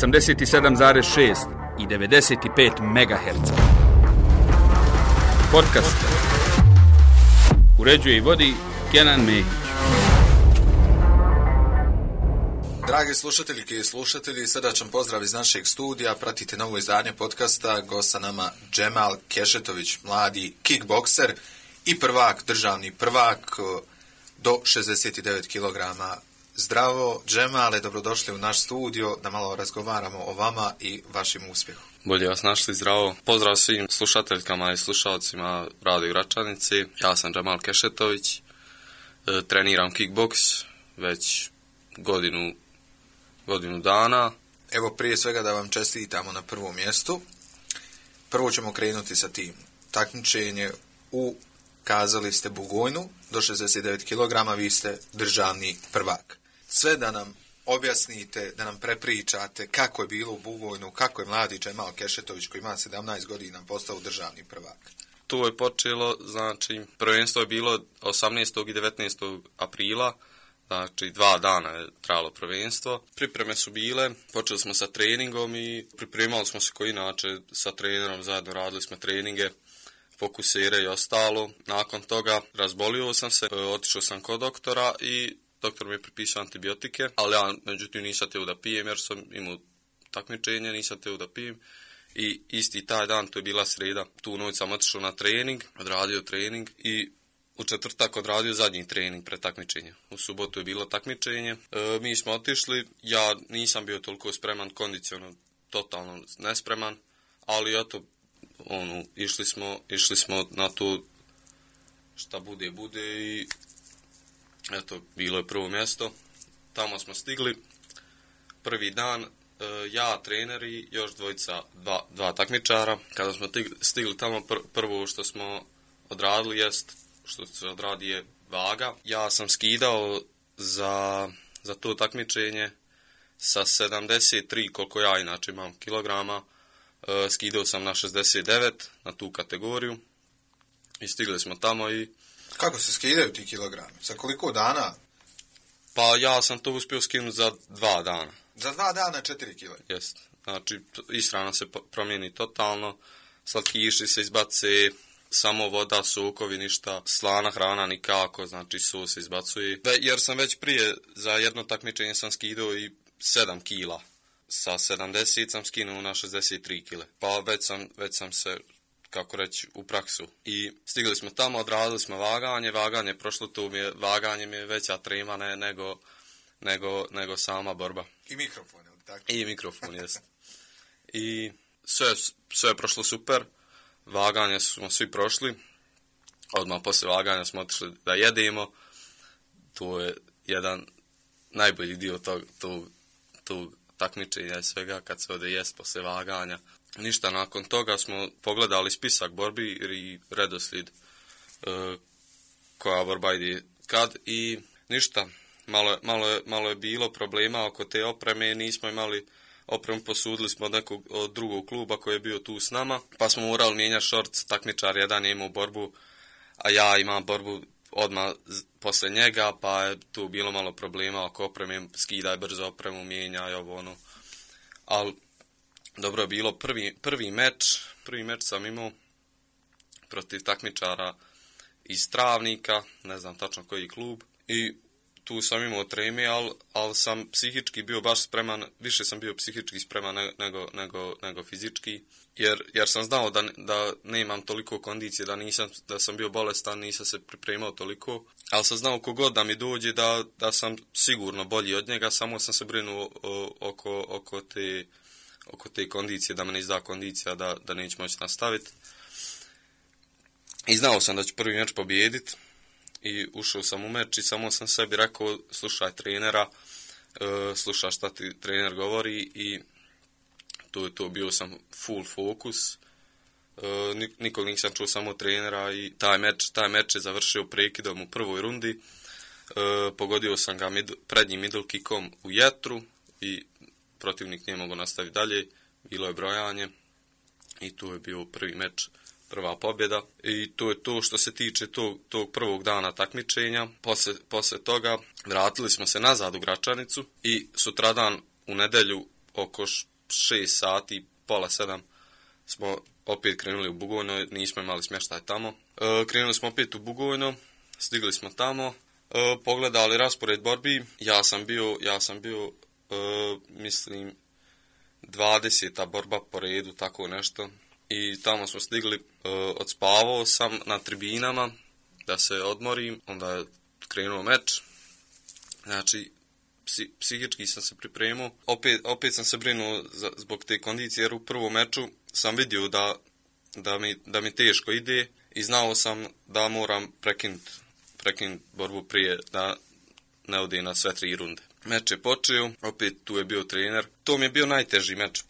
87,6 i 95 MHz. Podcast uređuje i vodi Kenan Mehić. Dragi slušateljke i slušatelji, srdačan pozdrav iz našeg studija. Pratite novo izdanje podcasta. Gost sa nama Džemal Kešetović, mladi kickbokser i prvak, državni prvak do 69 kg. Zdravo, Džemale, dobrodošli u naš studio da malo razgovaramo o vama i vašim uspjehom. Bolje vas našli, zdravo. Pozdrav svim slušateljkama i slušalcima Radio Gračanici. Ja sam Džemal Kešetović, treniram kickboks već godinu dana. Evo, prije svega da vam čestitamo na prvom mjestu. Prvo ćemo krenuti sa tim. Takmičenje kazali ste Bugojnu do 69 kg, vi ste državni prvak. Sve da nam objasnite, da nam prepričate kako je bilo u Bugojnu, kako je mladi Džemal Kešetović koji ima 17 godina postao državni prvak. Tu je počelo, znači, prvenstvo je bilo 18. i 19. aprila, znači 2 dana je trajalo prvenstvo. Pripreme su bile, počeli smo sa treningom i pripremali smo se koji inače sa trenerom, zajedno radili smo treninge, fokusire i ostalo. Nakon toga razbolio sam se, otišao sam kod doktora i doktor mi je prepisao antibiotike, ali ja međutim nisam teo da pijem jer sam imao takmičenje, nisam teo da pijem. I isti taj dan, to je bila sreda, tu noć sam otišao na trening, odradio trening i u četvrtak odradio zadnji trening pred takmičenjem. U subotu je bilo takmičenje, mi smo otišli, ja nisam bio toliko spreman, kondicionalno totalno nespreman, ali eto, išli smo na to šta bude i eto, bilo je prvo mjesto. Tamo smo stigli, prvi dan, ja, trener i još dva takmičara. Kada smo stigli tamo, prvo što smo odradili jest, što se odradi je vaga. Ja sam skidao za to takmičenje sa 73, koliko ja inače imam kilograma, skidao sam na 69, na tu kategoriju i stigli smo tamo i... Kako se skidaju ti kilogrami? Za koliko dana? Pa ja sam to uspio skinuti za 2 dana. Za 2 dana 4 kg? Jest. Znači, ishrana se promijeni totalno, slatkiši se izbace, samo voda, sokovi, ništa, slana hrana nikako, znači sos se izbacuje. Jer sam već prije, za jedno takmičenje sam skidao i 7 kila. Sa 70 sam skinuo na 63 kg. Pa već sam se, kako reći, u praksu. I stigli smo tamo, odradili smo vaganje prošlo vaganje mi je veća trema nego sama borba. I mikrofon, je li tako? I mikrofon, jest. I sve je prošlo super, vaganje smo svi prošli, odmah poslije vaganja smo otišli da jedemo, to je jedan najbolji dio tog takmičenja i svega kad se ode jest poslije vaganja. Ništa, nakon toga smo pogledali spisak borbi i redoslijed koja borba ide kad i ništa. Malo je bilo problema oko te opreme, nismo imali opremu, posudili smo od drugog kluba koji je bio tu s nama, pa smo morali mijenjati šorc, takmičar jedan je imao borbu, a ja imam borbu odmah poslije njega, pa je tu bilo malo problema oko opreme, skidaj brzo opremu, mijenjaj ovo ono, ali dobro je bilo. Prvi meč sam imao protiv takmičara iz Travnika, ne znam tačno koji klub, i tu sam imao treme, ali sam psihički bio baš spreman, više sam bio psihički spreman nego fizički, jer sam znao da nemam toliko kondicije, da sam bio bolestan, nisam se pripremao toliko, ali sam znao kogod da mi dođe da sam sigurno bolji od njega, samo sam se brinuo oko te kondicije, da me ne izda kondicija, da neću moći nastaviti. I znao sam da ću prvi meč pobijediti. I ušao sam u meč i samo sam sebi rekao, slušaj trenera, slušaj šta ti trener govori i to bio sam full fokus. Nikog nisam čuo, samo trenera i taj meč je završio prekidom u prvoj rundi. Pogodio sam ga prednjim middle kickom u jetru i protivnik nije mogao nastaviti dalje. Bilo je brojanje i tu je bio prvi meč, prva pobjeda. I to je to što se tiče tog prvog dana takmičenja. Poslije toga vratili smo se nazad u Gračanicu i sutradan u nedjelju oko 6 sati, pola 7 smo opet krenuli u Bugojno, nismo imali smještaj tamo. Krenuli smo opet u Bugojno, stigli smo tamo, pogledali raspored borbi, ja sam bio mislim 20. borba po redu, tako nešto. I tamo smo stigli, odspavao sam na tribinama da se odmorim, onda je krenuo meč. Znači, psihički sam se pripremio. Opet sam se brinuo zbog te kondicije, jer u prvom meču sam vidio da mi teško ide i znao sam da moram prekinuti borbu prije da ne ode na sve 3 runde. Meč je počeo, opet tu je bio trener. To mi je bio najteži meč,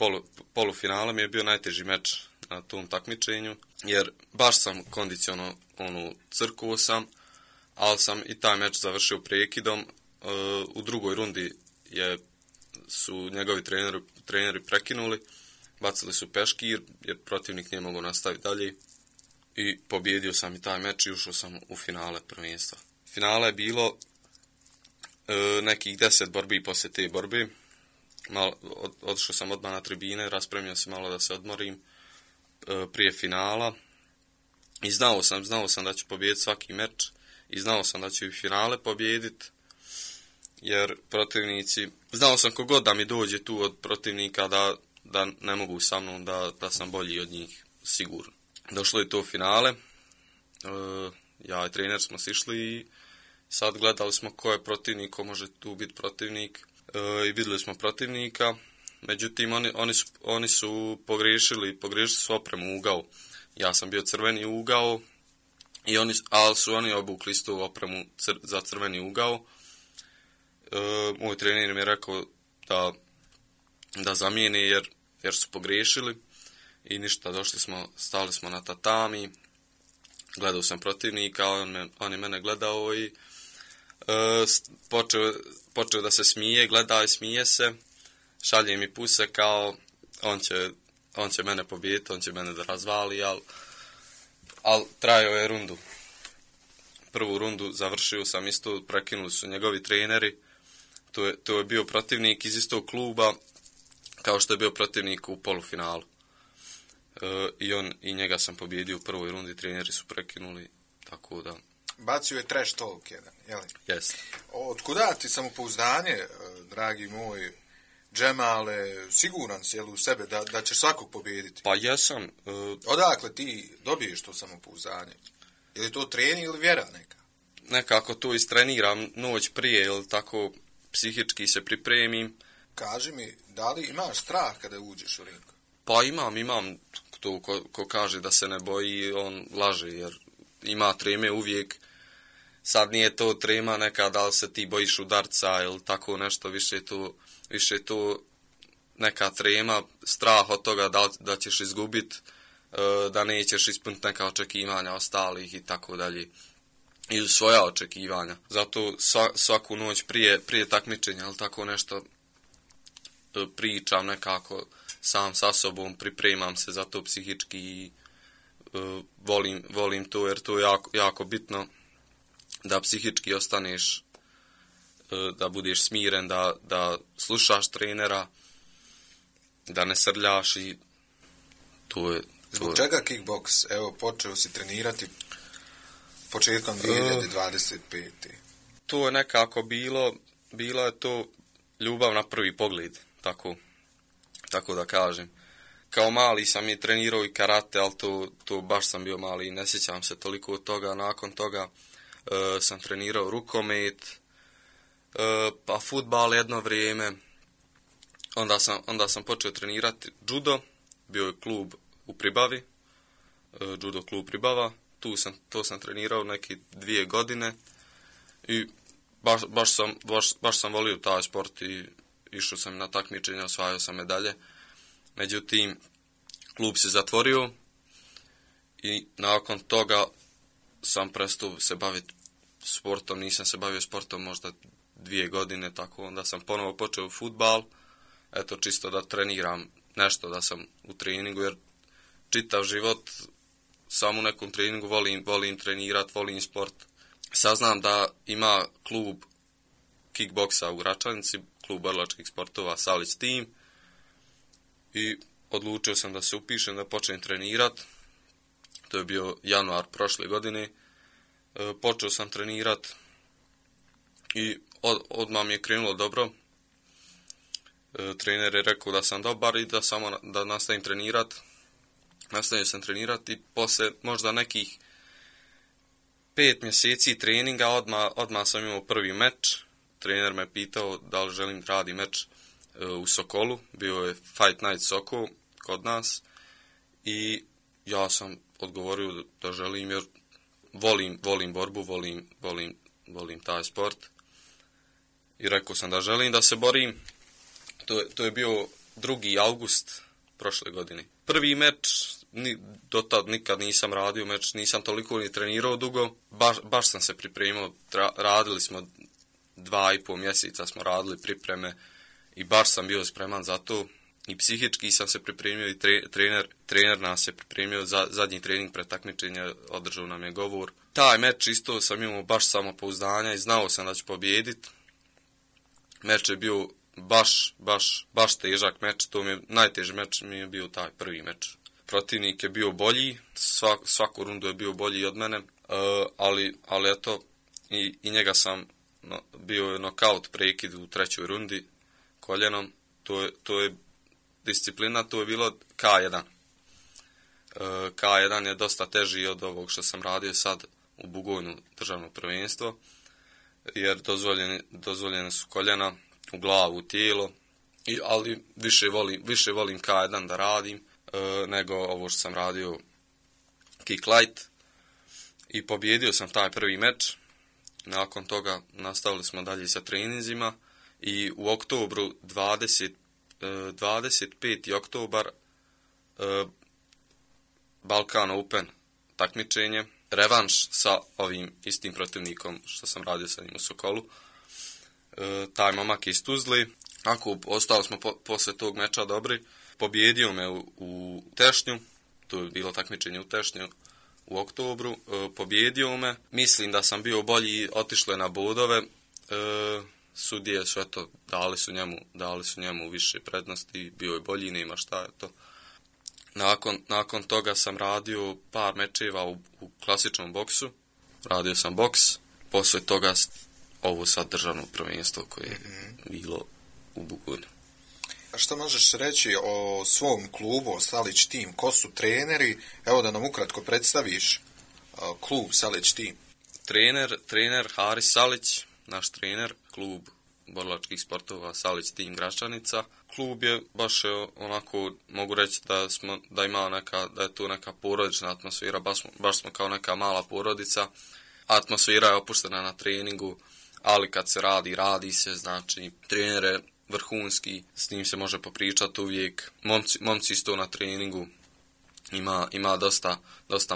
polufinala mi je bio najteži meč na tom takmičenju, jer baš sam kondiciono crkuo sam, ali sam i taj meč završio prekidom. U drugoj rundi su njegovi treneri prekinuli, bacili su peškir jer protivnik nije mogao nastaviti dalje i pobjedio sam i taj meč i ušao sam u finale prvenstva. Finale je bilo nekih 10 borbi poslije te borbe. Otišao sam odmah na tribine, raspremio se malo da se odmorim prije finala i znao sam da ću pobijediti svaki meč i znao sam da ću i finale pobijediti, jer protivnici, znao sam kogod da mi dođe tu od protivnika da ne mogu sa mnom, da sam bolji od njih, sigurno. Došlo je to finale, ja i trener smo sišli i sad gledali smo ko je protivnik, ko može tu biti protivnik i vidjeli smo protivnika, međutim oni su pogriješili su opremu u ugao. Ja sam bio crveni ugao, ali su oni obukli istu opremu za crveni ugao. Moj trener mi je rekao da zamijeni jer su pogriješili i ništa, stali smo na tatami, gledao sam protivnika, on je mene gledao i počeo da se smije, gleda i smije se, šalje mi puse kao on će mene pobijediti, on će mene da razvali, ali trajao je rundu. Prvu rundu završio sam isto, prekinuli su njegovi treneri. To je bio protivnik iz istog kluba kao što je bio protivnik u polufinalu. I njega sam pobjedio u prvoj rundi, treneri su prekinuli, tako da... Bacio je trash talk jedan, jel? Jeste. Otkuda ti samopouzdanje, dragi moj Džemale, siguran si u sebe da ćeš svakog pobijediti? Pa jesam. Odakle ti dobiješ to samopouzdanje? Je li to trening ili vjera neka? Nekako to istreniram noć prije, ili tako psihički se pripremim. Kaži mi, da li imaš strah kada uđeš u ring? Pa imam to ko kaže da se ne boji, on laže, jer ima treme uvijek. Sad nije to trema neka da li se ti bojiš udarca ili tako nešto, više to neka trema, strah od toga da ćeš izgubiti, da nećeš ispuniti neka očekivanja ostalih i tako dalje. I svoja očekivanja. Zato svaku noć prije takmičenja ili tako nešto pričam nekako sam sa sobom, pripremam se za to psihički i volim to jer to je jako bitno da psihički ostaneš, da budeš smiren, da slušaš trenera, da ne srljaš i to je... Zbog čega kickboks? Evo, počeo si trenirati početkom 2025. To je nekako bilo je to ljubav na prvi pogled, tako da kažem. Kao mali sam i trenirao i karate, ali to baš sam bio mali i ne sjećam se toliko od toga. Nakon toga sam trenirao rukomet, pa fudbal jedno vrijeme. Onda sam počeo trenirati judo, bio je klub u Pribavi, judo klub Pribava. To sam trenirao neke 2 godine i baš sam volio taj sport i išao sam na takmičenja, osvajao sam medalje. Međutim, klub se zatvorio i nakon toga sam prestao se baviti sportom. Nisam se bavio sportom možda 2 godine, tako onda sam ponovo počeo fudbal. Eto, čisto da treniram nešto, da sam u treningu, jer čitav život sam u nekom treningu, volim trenirati, volim sport. Saznam da ima klub kickboksa u Gračanici, klub borilačkih sportova Salić Team, i odlučio sam da se upišem, da počnem trenirat. To je bio januar prošle godine. Počeo sam trenirat i odmah mi je krenulo dobro. Trener je rekao da sam dobar i da nastavim trenirat. Nastavio sam trenirat i posle možda nekih 5 mjeseci treninga odmah sam imao prvi meč. Trener me pitao da li želim radi meč u Sokolu. Bio je Fight Night Sokol kod nas i ja sam odgovorio da želim jer volim borbu, volim taj sport. I rekao sam da želim da se borim. To je bio 2. august prošle godine. Prvi meč, do tad nikad nisam radio meč, nisam toliko ni trenirao dugo. Baš sam se pripremio, radili smo 2,5 mjeseca smo radili pripreme i baš sam bio spreman za to. I psihički sam se pripremio i trener nas se pripremio za zadnji trening pred takmičenje, održao nam je govor. Taj meč isto sam imao baš samopouzdanja i znao sam da ću pobijediti. Meč je bio baš težak meč, najteži meč mi je bio taj prvi meč. Protivnik je bio bolji, svaku rundu je bio bolji od mene, ali eto, i njega sam, bio je nokaut prekid u 3. rundi koljenom, to je disciplina, to je bilo K1. K1 je dosta teži od ovog što sam radio sad u Bugojnu državno prvenstvo, jer dozvoljene su koljena u glavu, u tijelo, ali više volim K1 da radim nego ovo što sam radio kick light i pobjedio sam taj prvi meč. Nakon toga nastavili smo dalje sa treninzima i u oktobru 25. oktobar Balkan Open takmičenje, revanš sa ovim istim protivnikom što sam radio sa njim u Sokolu. Taj momak iz Tuzli, ostali smo posle tog meča dobri, pobjedio me u Tešnju, to je bilo takmičenje u Tešnju u oktobru, pobjedio me, mislim da sam bio bolji, otišlo je na bodove, sudije su eto, dali su njemu više prednosti, bio je bolji, nema šta je to. Nakon toga sam radio par mečeva u klasičnom boksu, radio sam boks, posle toga ovo sad državno prvenstvo koje je bilo u Bugojnu. A što možeš reći o svom klubu, o Salić Team? Ko su treneri? Evo da nam ukratko predstaviš klub Salić Team. Trener Haris Salić, naš trener, klub borilačkih sportova Salić Team Gračanica. Klub je baš onako, mogu reći da ima da je tu neka porodična atmosfera, baš smo kao neka mala porodica. Atmosfera je opuštena na treningu, ali kad se radi se, znači trener je vrhunski, s njim se može popričati uvijek. Momci isto na treningu, ima dosta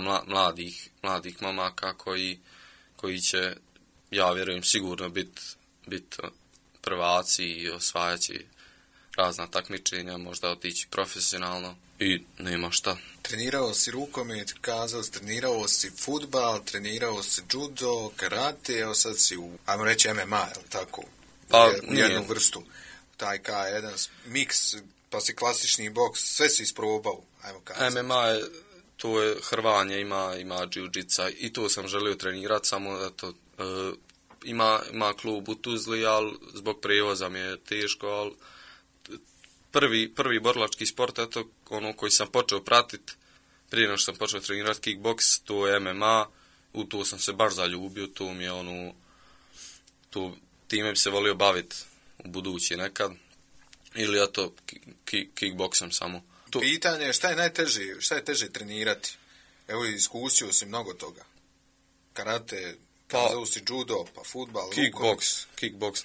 mladih momaka koji će, ja vjerujem, sigurno biti prvaci i osvajaći razna takmičenja, možda otići profesionalno i nema šta. Trenirao si rukomet, kazao si, trenirao si fudbal, trenirao si judo, karate, evo sad si ajmo reći MMA, je li tako? U jednu vrstu. Taj K1 miks, pa si klasični boks, sve si isprobao, ajmo kazati. MMA to je hrvanje, ima jiu-jitsa i to sam želio trenirati, samo da to ima klub u Tuzli, ali zbog prijevoza mi je teško, ali prvi borilački sport, eto, ono koji sam počeo pratiti, prije nego što sam počeo trenirati kickboks, to je MMA, u to sam se baš zaljubio, to mi je time bi se volio baviti u budući nekad, ili eto, kickboksom samo. Pitanje je šta je teže trenirati? Evo, iskusio si mnogo toga. Karate, kazao si judo, pa fudbal, kickboks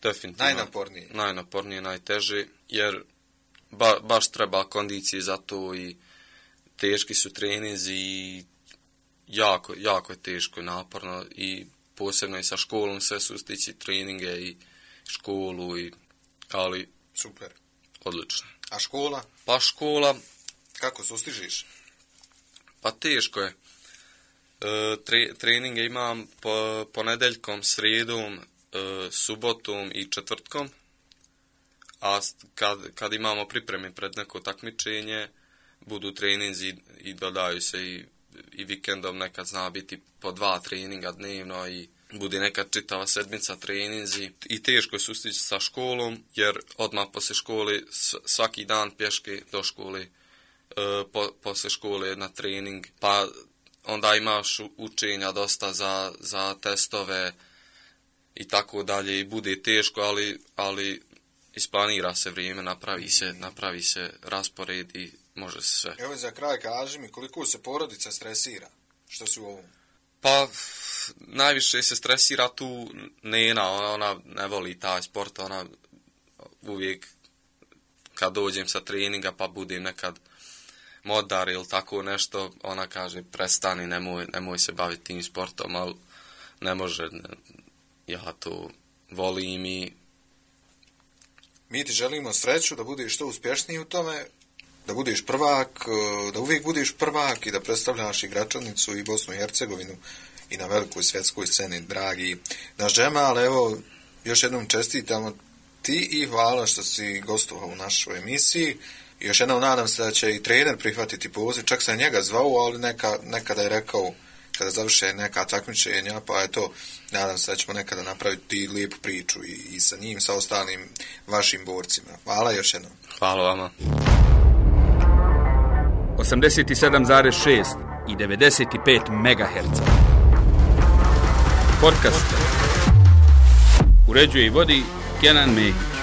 definitivno najnaporniji, najteži, jer baš treba kondicije za to i teški su treninzi i jako je teško i naporno i posebno i sa školom sve sustići treninge i školu, ali super, odlično. A škola? Pa škola... Kako sustižiš? Pa teško je. Treninge imam po, ponedeljkom, srijedom, subotom i četvrtkom, a kad imamo pripreme pred neko takmičenje, budu treninzi i dodaju se i vikendom, nekad zna biti po 2 treninga dnevno i bude nekad čitava sedmica treninzi i teško je sustići sa školom, jer odmah poslije škole svaki dan pješke do škole, poslije škole na trening, pa onda imaš učenja dosta za testove i tako dalje i bude teško, ali isplanira se vrijeme, napravi se raspored i može se sve. Evo za kraj kaži mi koliko se porodica stresira, što si u ovom? Pa najviše se stresira tu Nena, ona ne voli taj sport, ona uvijek kad dođem sa treninga pa budem nekad modar ili tako nešto, ona kaže prestani, nemoj se baviti tim sportom, ali ne može, ja to volim i... Mi ti želimo sreću da budeš što uspješniji u tome, da budeš prvak, da uvijek budeš prvak i da predstavljaš i Gračanicu i Bosnu i Hercegovinu i na velikoj svjetskoj sceni, dragi naš Džemal. Evo, još jednom čestitamo ti i hvala što si gostovao u našoj emisiji. I još jednom nadam se da će i trener prihvatiti poziv, čak sam njega zvao, ali nekada je rekao kada završe neka takmičenja, pa eto, nadam se da ćemo nekada napraviti lijepu priču i sa njim, sa ostalim vašim borcima. Hvala još jednom. Hvala vama. 87,6 i 95 MHz. Podcast. Uređuje i vodi Kenan Mehić.